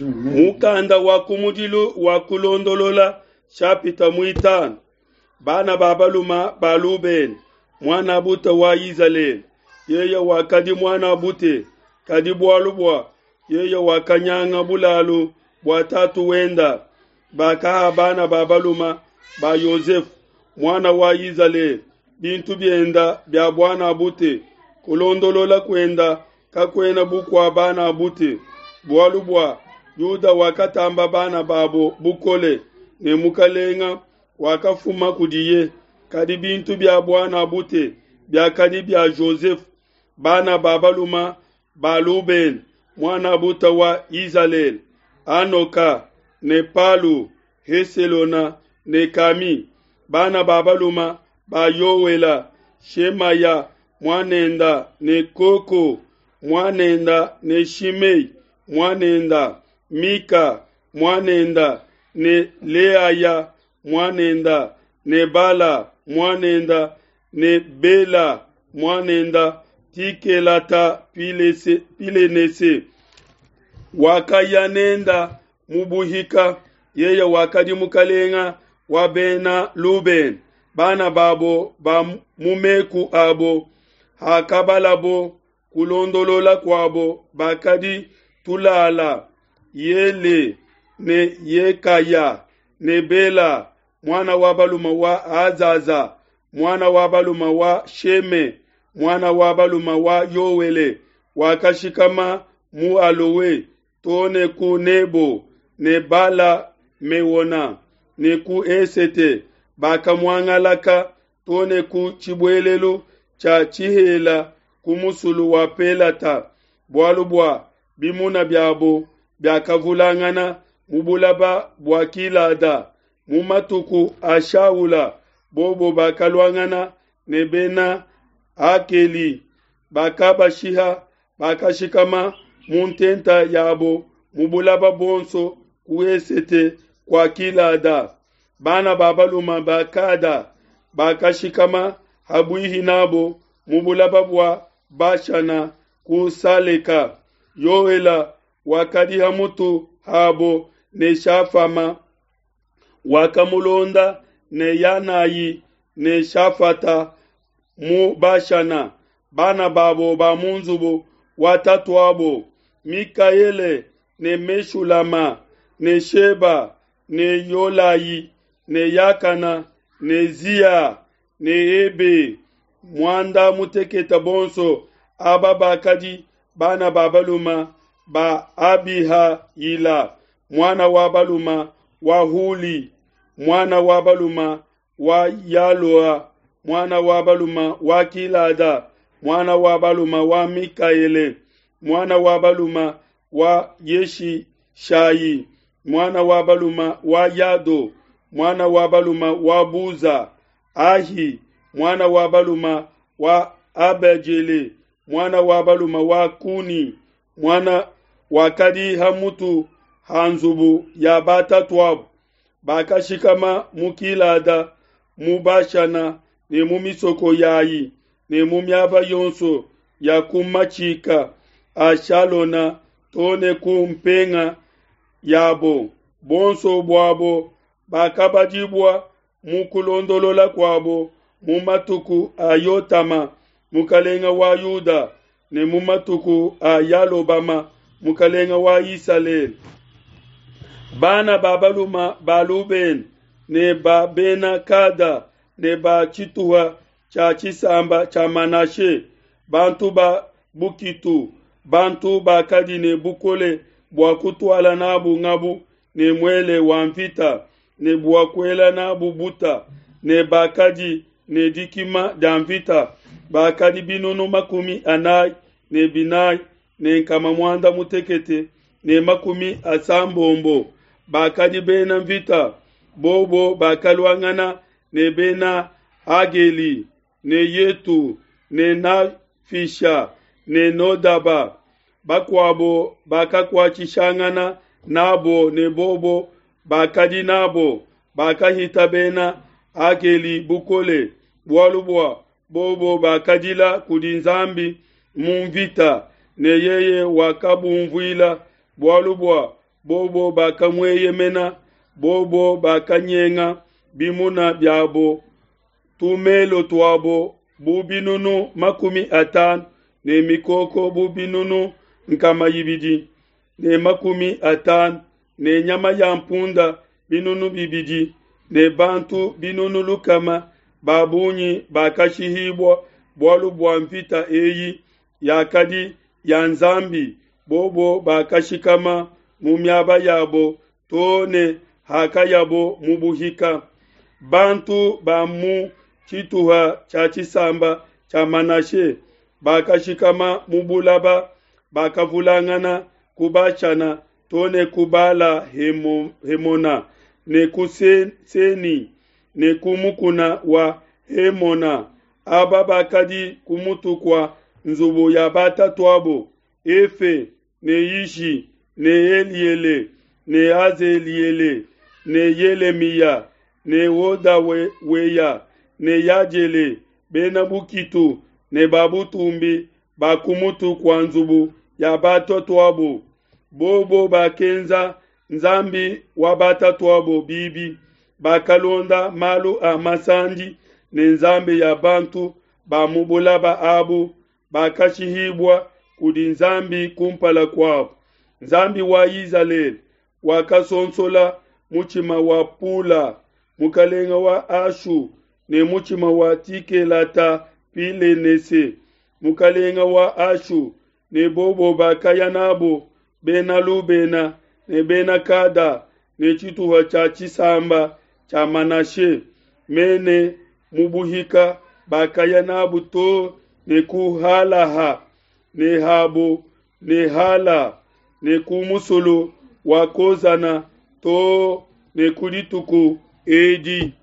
Mukanda wa kumudilu wa Kulondolola shapita muitanu. Bana ba baluma ba Lubene, muanabute wa Izalele, yeye wakadi muanabute, kadi bualu bua yeye wakanyanga bulalu bua tatu wenda, bakaha bana ba baluma ba Yosefe, muana wa Izalele, bintu bienda bia buanabute. Kulondolola kuenda kakuena bu kua banabute, bualu bua Yuda wakatamba bana babo bukole, ne mukalenga wakafuma kudiye. Kadi bintu bia buanabute biakadi bia Jozefe. Bana ba baluma ba Lubene, muanabute wa Izalele, Hanoka ne Palu, Heselona ne Kami. Bana ba baluma ba Yoela, Shemaya muanenda ne Koko muanenda ne Shimei muanenda, Mika muanenda ne Leaya muanenda ne Bala muanenda ne Bela muanenda Tikelata Pilenese wakaya nenda mu buhika, yeye wakadi mukalenga wa bena Lubene, bana babo ba mu meku abo. Hakabalabo kulondolola kuabo bakadi Tulala, Yele ne Yekaya ne Bela, muana wa balume wa Azaza, muana wa balume wa Sheme, muana wa balume wa Yoele, wakashikama mu Alowe too ne ku Nebo ne Bala Meona ne ku Esete, bakamuangalaka too ne ku tshibuelelu tshia tshihela ku musulu wa Pelata, bualu bua bimuna biabo biakavulangana mu bulaba bua Gilada. Mu matuku a Shaula, bobo bakaluangana ne bena Akeli, bakabashiha, bakashikama mu ntenta yabo mu bulaba buonso ku esete kua Gilada. Bana ba balume ba Gada bakashikama habuihi nabo mu bulaba bua Bashana ku Saleka. Yoela wakadi ha mutu habo ne Shafama wakamulonda ne Yanayi ne Shafata mu Bashana. Bana babo ba mu nzubu wa tatuabo, Mikaele ne Meshulama ne Sheba ne Yolayi ne Yakana ne Zia ne Ebe, muanda mutekete bonso aba bakadi bana ba balume ba Abihayila, muana wa balume wa Huli, muana wa balume wa Yaloa, muana wa balume wa Gilada, muana wa balume wa Mikaele, muana wa balume wa Yeshishayi, muana wa balume wa Yado, muana wa balume wa Buza, Ahi, muana wa balume wa Abejele, muana wa balume wa Kuni, muana wakadi ha mutu ha nzubu ya batatuabo. Bakashikama mu Gilada, mu Bashana ne mu misoko yayi ne mu miaba yonso ya ku matshika a Shalona too ne ku mpenga yabo. Bonso buabo bakabadibua mu kulondolola kuabo mu matuku a Yotama mukalenga wa Yuda ne mu matuku a Yalobama mukalenga wa Isalele. Bana ba balume ba Lubene ne ba bena Gada ne ba tshituha tshia tshisamba tshia Manashe, bantu ba bukitu, bantu bakadi ne bukole bua kutuala nabu ngabu ne muele wa mvita ne bua kuela nabu buta, ne bakadi ne dikima dia mvita, bakadi binunu 44 ne nkama 660. Bakadi bena mvita, bobo bakaluangana ne bena Ageli ne Yetu ne Nafisha ne Nodaba. Bakuabo bakakuatshishangana nabo ne bobo bakadi nabo, bakahita bena Ageli bukole, bualu bua bobo bakadila kudi Nzambi mu mvita, ne yeye wakabumvuila, bualu bua bobo bakamueyemena, bobo bakanyenga bimuna biabo, tumelo tuabo bu binunu 50 ne mikoko bu binunu 250 ne nyama ya mpunda 2000 ne bantu 100,000 ba bungi bakashihibua bualu bua mvita eyi yakadi ya Nzambi. Bobo bakashikama mu miaba yabo to ne hakayabo mu buhika. Bantu ba mu tshituha tshia tshisamba tshia Manashe bakashikama mu bulaba, bakavulangana ku Bashana to ne ku Bala Hemona ne ku Seni ne ku mukuna wa Hemona. Aba bakadi ku mutu kua nzubu ya batatuabo, Efe ne Ishi ne Eliele ne Azeliele ne Yelemiya ne Hodaweya ne Yadiele, bena bukitu ne ba butumbi ba ku mutu kua nzubu ya batatuabo. Bobo bakenza Nzambi wa batatuabo bibi, bakalonda malu a masandi ne nzambi ya bantu ba mu bulaba abu, bakashihibua kudi Nzambi kumpala kuabo. Nzambi wa Izalele wakasonsola mutshima wa Pula, mukalenga wa Ashu, ne mutshima wa Tikelata-Pilenese, mukalenga wa Ashu, ne bobo bakaya nabo Bena Lubena ne Bena Kada ne tshituha tshia tshisamba tshia Manashe mene mu buhika, bakaya nabo to ne ku Halaha ne Habo ne Hala ne ku musulu wa Kozana to ne ku dituku edi.